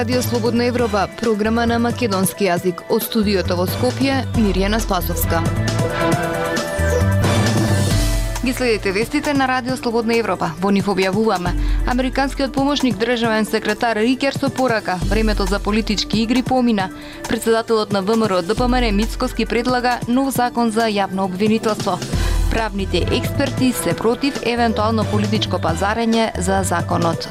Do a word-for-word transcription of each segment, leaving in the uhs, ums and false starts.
Радио Слободна Европа, програма на македонски јазик. Од студиото во Скопје, Мирјана Спасовска. Ги следите вестите на Радио Слободна Европа. Во нив објавуваме: американскиот помошник државен секретар Рикер со порака: времето за политички игри помина. Председателот на ВМРО ДПМН Мицкоски предлага нов закон за јавно обвинителство. Правните експерти се против евентуално политичко пазарење за законот.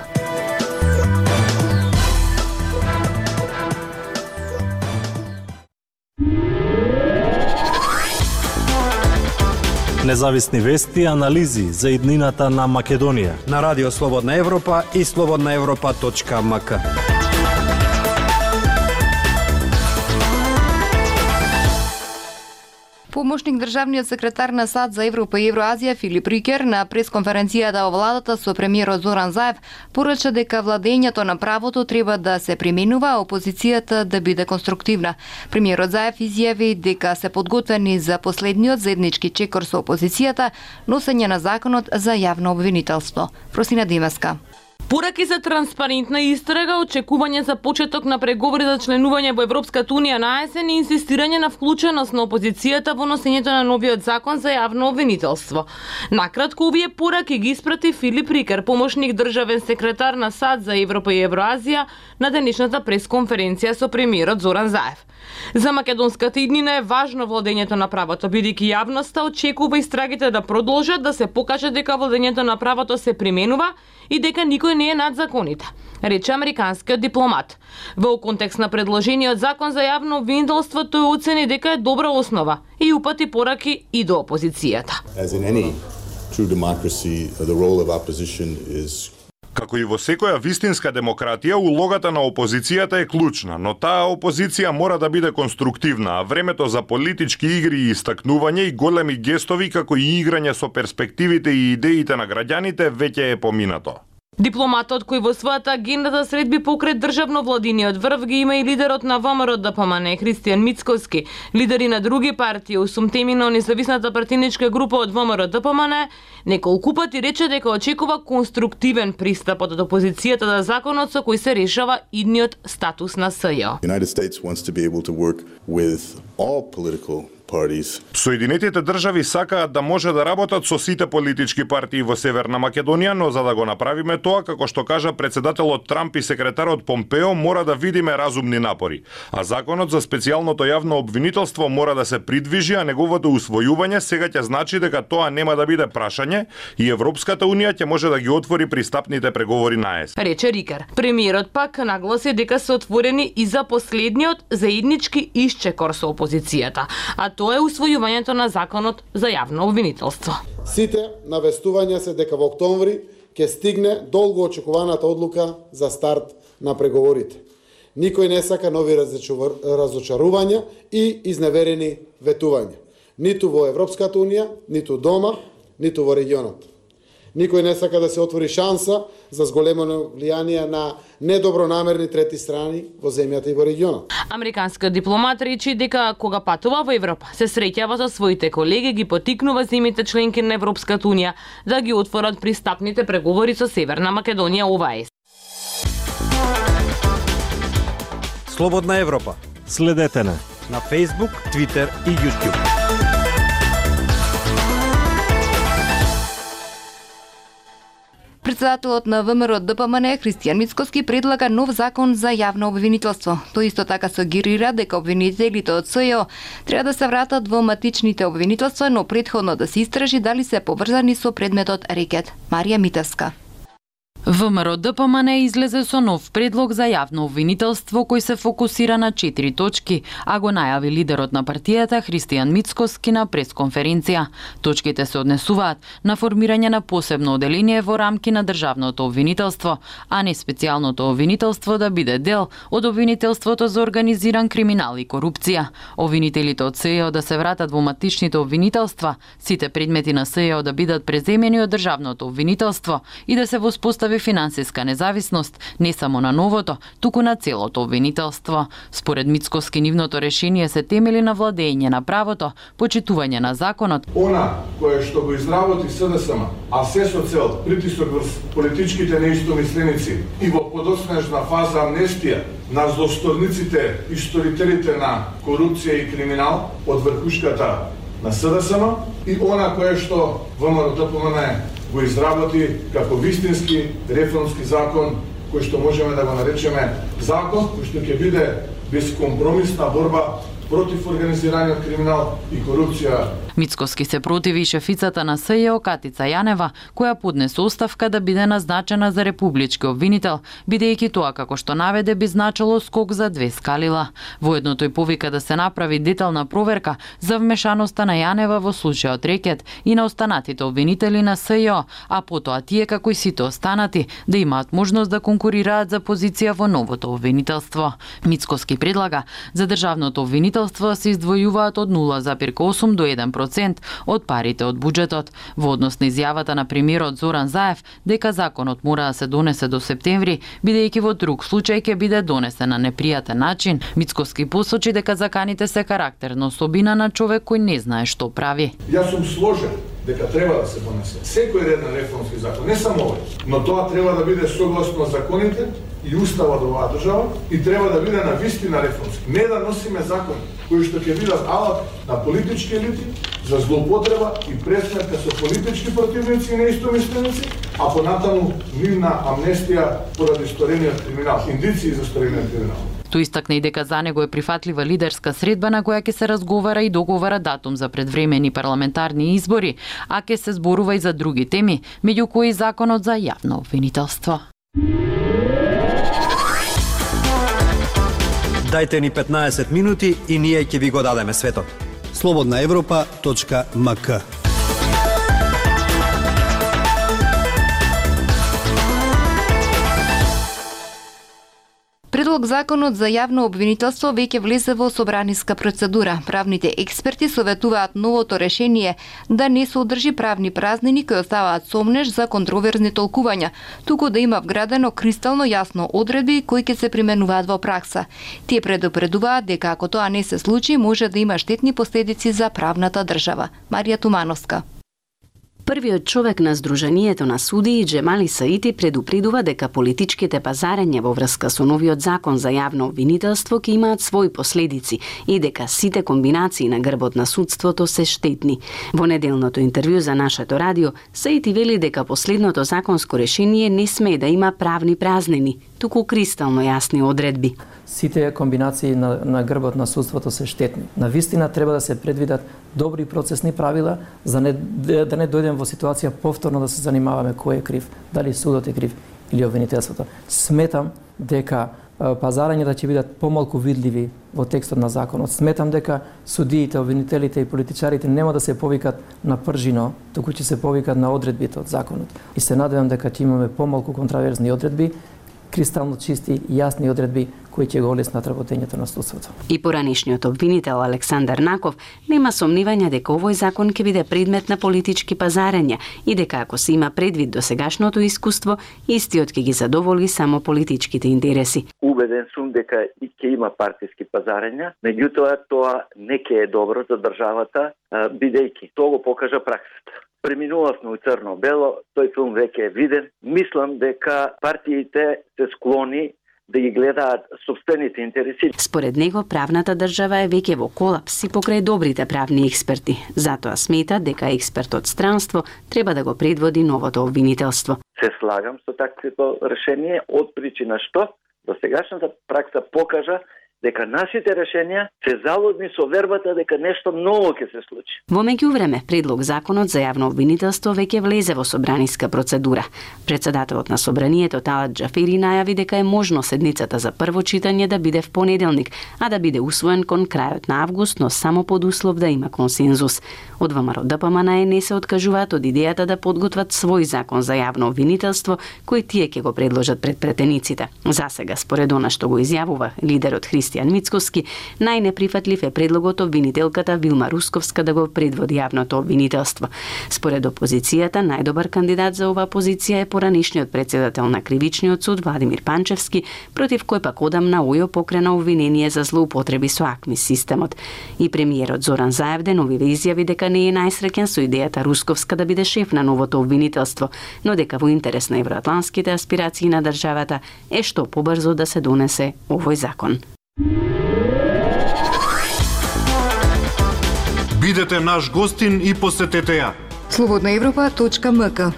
Независни вести и анализи за иднината на Македонија на Радио Слободна Европа и слободна европа точка ем ка. Помошник државниот секретар на САД за Европа и Евроазија Филип Рикер на пресконференцијата во владата со премиерот Зоран Заев порача дека владењето на правото треба да се применува, а опозицијата да биде конструктивна. Премиерот Заев изјави дека се подготвени за последниот заеднички чекор со опозицијата, носење на законот за јавно обвинителство. Просина Димаска. Пораки за транспарентна истрага, очекување за почеток на преговори за членување во Европската унија на есен и инсистирање на вклученост на опозицијата во носењето на новиот закон за јавно обвинителство. Накратко, овие пораки ги испрати Филип Рикер, помошник државен секретар на САД за Европа и Евроазија, на денешната пресконференција со премиерот Зоран Заев. За македонската иднина е важно владењето на правото, бидејќи јавноста очекува истрагите да продолжат, да се покаже дека владењето на правото се применува и дека никој не е над законите, рече американскиот дипломат. Во контекст на предложениот закон за јавно обвинителство, тој оцени дека е добра основа и упати пораки и до опозицијата. As in any true democracy, the role of opposition is Како и во секоја вистинска демократија, улогата на опозицијата е клучна, но таа опозиција мора да биде конструктивна, а времето за политички игри и истакнување и големи гестови како и играње со перспективите и идеите на граѓаните веќе е поминато. Дипломатот кој во својата агенда да средби покрај државно владиниот врв ги има и лидерот на ВМРО ДПМН Христијан Мицкоски, лидери на други партии, осум теми на независната партиничка група од ВМРО ДПМН, неколку пати рече дека очекува конструктивен пристап од опозицијата за законот со кој се решава идниот статус на СЈО. United States wants to be able to work with all political parties. Соединетите држави сакаат да може да работат со сите политички партии во Северна Македонија, но за да го направиме тоа, како што кажа председателот Трамп и секретарот Помпео, мора да видиме разумни напори. А законот за специјалното јавно обвинителство мора да се придвижи, а неговото усвојување сега ќе значи дека тоа нема да биде прашање и Европската унија ќе може да ги отвори пристапните преговори на ЕС. Рече Рикер. Премиерот пак нагласи дека се отворени и за последниот заеднички исчекор со опозицијата, а тоа е усвојувањето на законот за јавно обвинителство. Сите навестувања се дека во октомври ќе стигне долго очекуваната одлука за старт на преговорите. Никој не сака нови разочарувања и изневерени ветувања. Ниту во Европската унија, ниту дома, ниту во регионот. Никој не сака да се отвори шанса за зголемено влијание на недобронамерни трети страни во земјата и во регионот. Американскиот дипломат речи дека кога патува во Европа, се среќава со своите колеги, ги потикнува земјите членки на Европската унија да ги отворат пристапните преговори со Северна Македонија ОВАЕС. Слободна Европа. Следете на на Facebook, Twitter и YouTube. Председателот на ВМРО ДПМН Христијан Мицкоски предлага нов закон за јавно обвинителство. Тој исто така сугерира дека обвинителите од СЈО треба да се вратат во матичните обвинителства, но претходно да се истражи дали се поврзани со предметот рекет. Марија Митевска. ВМРО ДПМН излезе со нов предлог за јавно обвинителство кој се фокусира на четири точки, а го најави лидерот на партијата Христијан Мицкоски на пресконференција. Точките се однесуваат на формирање на посебно оделение во рамки на државното обвинителство, а не специјалното обвинителство да биде дел од обвинителството за организиран криминал и корупција. Обвинителите од СЈО да се вратат во матичните обвинителства, сите предмети на СЈО да бидат преземени од државното обвинителство и да се воспостави постави финансиска независност не само на новото, туку на целото обвинителство. Според Мицкоски, нивното решение се темели на владење на правото, почитување на законот. Она кое што го изработи СДСМ, а се со цел притисок врз политичките неистомисленици и во подоснежна фаза амнестија на злосторниците и сторителите на корупција и криминал од врхушката на СДСМ и она кое што ВМРО-ДПМН го изработи како вистински реформски закон, кој што можеме да го наречеме закон, кој што ќе биде безкомпромисна борба против организираниот криминал и корупција. Мицкоски се противи и шефицата на СЈО Катица Јанева, која поднесе оставка да биде назначена за републички обвинител, бидејќи тоа, како што наведе, би значило скок за две скалила. Воедно тој повика да се направи детална проверка за вмешаноста на Јанева во случајот Рекет и на останатите обвинители на СЈО, а потоа тие, како и сите останати, да имаат можност да конкурираат за позиција во новото обвинителство. Мицкоски предлага за државното обвинителство се издвојуваат од нула зарез осум до еден процент од парите од буџетот. Во однос на изјавата на премиерот Зоран Заев дека законот мора да се донесе до септември, бидејќи во друг случај ќе биде донесен на непријатен начин, Мицкоски посочи дека заканите се карактерна особина на човек кој не знае што прави. Јас сум сложен дека треба да се донесе секој реден реформски закон, не само овој, но тоа треба да биде согласно законите и уставот од оваа држава и треба да биде на вистина реформски. Не да носиме закон кои што ќе бидат алат на политички елити за злоупотреба и пресметка со политички противници и неистомисленици, а понатаму нивна амнестија поради сторениот криминал, индици за сторениот криминал. Тој истакна и дека за него е прифатлива лидерска средба на која ќе се разговара и договара датум за предвремени парламентарни избори, а ќе се зборува и за други теми, меѓу кои законот за јавно обвинителство. Дајте ни петнаесет минути и ние ќе ви го дадеме светот. слободна европа точка ем ка. Предлог законот за јавно обвинителство веќе влезе во собраниска процедура. Правните експерти советуваат новото решение да не содржи правни празнини кои оставаат сомнеж за контроверзни толкувања, туку да има вградено кристално јасно одредби кои ќе се применуваат во пракса. Тие предупредуваат дека ако тоа не се случи, може да има штетни последици за правната држава. Марија Тумановска. Првиот човек на Сдруженијето на судии Џемали Саити предупредува дека политичките пазарења во врска со новиот закон за јавно обвинителство ќе имаат своји последици и дека сите комбинации на грбот на судството се штетни. Во неделното интервју за нашето радио, Саити вели дека последното законско решение не смее да има правни празнини, туку кристално јасни одредби. Сите комбинации на, на грбот на судството се штетни. На вистина треба да се предвидат добри процесни правила за не, да не дојдем во ситуација повторно да се занимаваме кој е крив, дали судот е крив или обвинителството. Сметам дека пазарањата ќе бидат помалку видливи во текстот на законот. Сметам дека судиите, обвинителите и политичарите нема да се повикат на пржино, туку ќе се повикат на одредбите од законот. И се надевам дека ќе имаме помалку контраверзни одредби, кристално чисти и јасни одредби кои ќе го олеснат работењето на судството. И поранишниот обвинител Александар Наков нема сомнивања дека овој закон ќе биде предмет на политички пазарења и дека ако се има предвид до сегашното искуство, истиот ќе ги задоволи само политичките интереси. Убеден сум дека и ќе има партиски пазарења, меѓутоа тоа не ќе е добро за државата, бидејќи тоа го покажа праксата. Преминувавме у црно-бело, тој филм веќе е виден. Мислам дека партиите се склони да ги гледаат собствените интереси. Според него, правната држава е веќе во колапс и покрај добрите правни експерти. Затоа смета дека експертот странство треба да го предводи новото обвинителство. Се слагам со такво решение од причина што до сегашната пракса покажа дека нашите решенија се залудни со вербата дека нешто ново ќе се случи. Во меѓувреме, предлог законот за јавно обвинителство веќе влезе во собраниска процедура. Председателот на собранието Талат Џафери најави дека е можно седницата за прво читање да биде в понеделник, а да биде усвоен кон крајот на август, но само под услов да има консензус. Од ВМРО-ДПМН не се откажуваат од идејата да подготват свој закон за јавно обвинителство, кој тие ќе го предложат пред претениците. За сега, според она што го изјавува лидерот Христијан Христијан Мицкоски, најнеприфатлив е предлогот обвинителката Вилма Русковска да го предводи јавното обвинителство. Според опозицијата, најдобар кандидат за оваа позиција е поранишниот председател на Кривичниот суд Владимир Панчевски, против кој пак одамна ОЈО покрена обвинение за злоупотреби со АКМИ системот. И премиерот Зоран Заев деновиве изјави дека не е најсреќен со идејата Русковска да биде шеф на новото обвинителство, но дека во интерес на евроатлантските аспирации на државата е што побрзо да се донесе овој закон. Бидете наш гостин и посетете ја. слободна европа точка ем ка.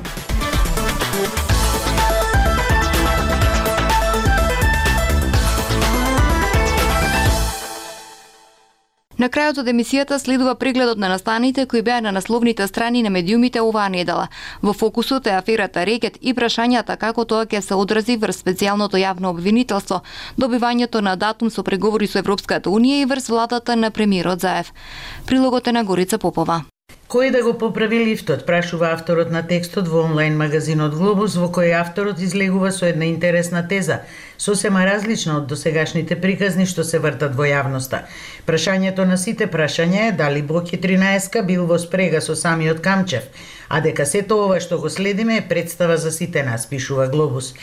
На крајот од емисијата следува прегледот на настаните кои беа на насловните страни на медиумите оваа недела. Во фокусот е аферата Рекет и прашањата како тоа ќе се одрази врз специјалното јавно обвинителство, добивањето на датум со преговори со Европската унија и врз владата на премиерот Заев. Прилогот е на Горица Попова. Кој да го поправи лифтот, прашува авторот на текстот во онлайн магазинот Глобус, во кој авторот излегува со една интересна теза, сосема различна од досегашните приказни што се вртат во јавноста. Прашањето на сите прашања е дали Боки тринаесетка бил во спрега со самиот Камчев, а дека сето ова што го следиме е представа за сите нас, пишува Глобус.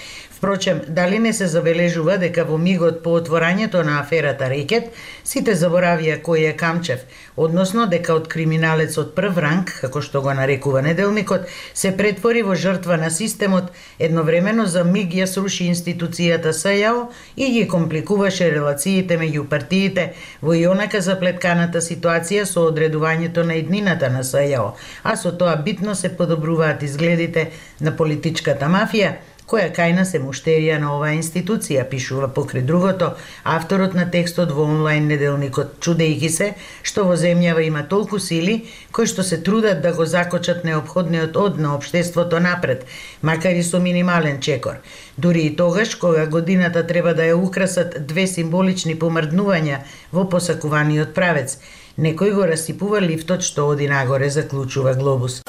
Впрочем, дали не се забележува дека во мигот по отворањето на аферата Рекет, сите заборавија кој е Камчев, односно дека од криминалец од прв ранг, како што го нарекува неделникот, се претвори во жртва на системот, едновремено за миг ја сруши институцијата СЈО и ги компликуваше релациите меѓу партиите во и онака заплетканата ситуација со одредувањето на иднината на СЈО, а со тоа битно се подобруваат изгледите на политичката мафија, која кајна се муштерија на оваа институција, пишува покрај другото авторот на текстот во онлайн неделникот, чудејќи се што во земјава има толку сили кои што се трудат да го закочат неопходниот од на општеството напред, макар и со минимален чекор. Дури и тогаш кога годината треба да ја украсат две символични помрднувања во посакуваниот правец, некој го расипува лифтот што оди нагоре, заклучува Глобус.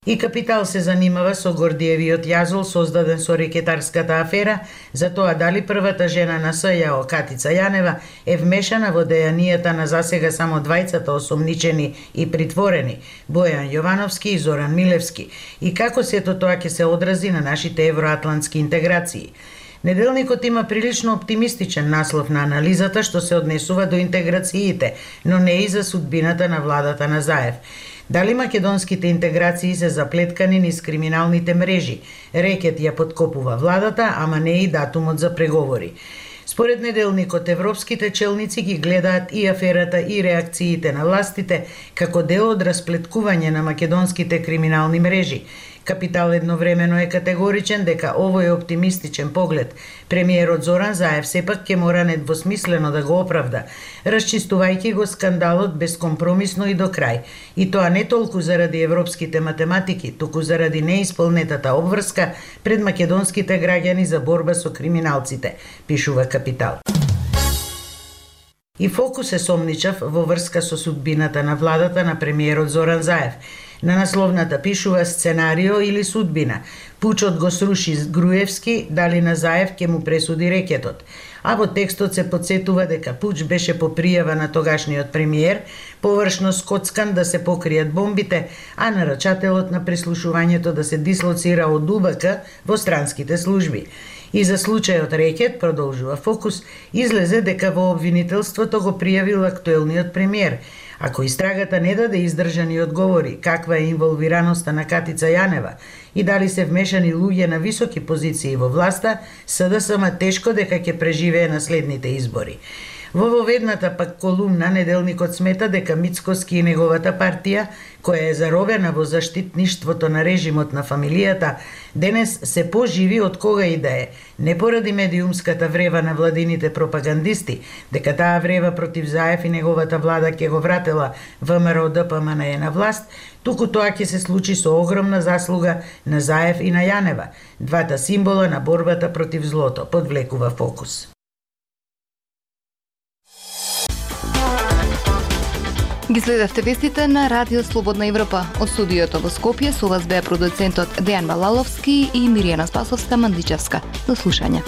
И Капитал се занимава со Гордиевиот јазол создаден со рекетарската афера, за тоа дали првата жена на СЈО, Катица Јанева, е вмешана во дејанијата на засега само двајцата осомничени и притворени, Бојан Јовановски и Зоран Милевски, и како сето тоа ќе се одрази на нашите евроатлантски интеграции. Неделникот има прилично оптимистичен наслов на анализата што се однесува до интеграциите, но не и за судбината на владата на Заев. Дали македонските интеграции се заплеткани низ криминалните мрежи? Рекет ја подкопува владата, ама не и датумот за преговори. Според неделникот, европските челници ги гледаат и аферата и реакциите на властите како дел од расплеткување на македонските криминални мрежи. Капитал едновремено е категоричен дека овој оптимистичен поглед премиерот Зоран Заев сепак ќе мора недвосмислено да го оправда, расчистувајќи го скандалот безкомпромисно и до крај. И тоа не толку заради европските математики, туку заради неисполнетата обврска пред македонските граѓани за борба со криминалците, пишува Капитал. И фокус е сомничав во врска со судбината на владата на премиерот Зоран Заев. На насловната пишува сценарио или судбина. Пучот го сруши Груевски, дали на Заев ќе му пресуди Рекетот. А во текстот се подсетува дека Пуч беше по пријава на тогашниот премиер, површно скоцкан да се покријат бомбите, а нарачателот на прислушувањето да се дислоцира од У Б К во странските служби. И за случајот Рекет, продолжува Фокус, излезе дека во обвинителството го пријавил актуелниот премиер. Ако истрагата не даде издржани одговори каква е инволвираноста на Катица Јанева и дали се вмешани луѓе на високи позиции во власта, С Д С М тешко дека ќе преживее на следните избори. Во воведната пак колумна неделникот смета дека Мицкоски и неговата партија, која е заробена во заштитништвото на режимот на фамилијата, денес се поживи од кога и да е, не поради медиумската врева на владините пропагандисти, дека таа врева против Заев и неговата влада ќе го вратела В М Р Д П М Н Е на власт, туку тоа ќе се случи со огромна заслуга на Заев и на Јанева, двата символа на борбата против злото, подвлекува Фокус. Ги следевте вестите на Радио Слободна Европа. Од студиото во Скопје со вас беа продуцентот Дејан Балаловски и Миријана Спасовска-Мандичевска. До слушање.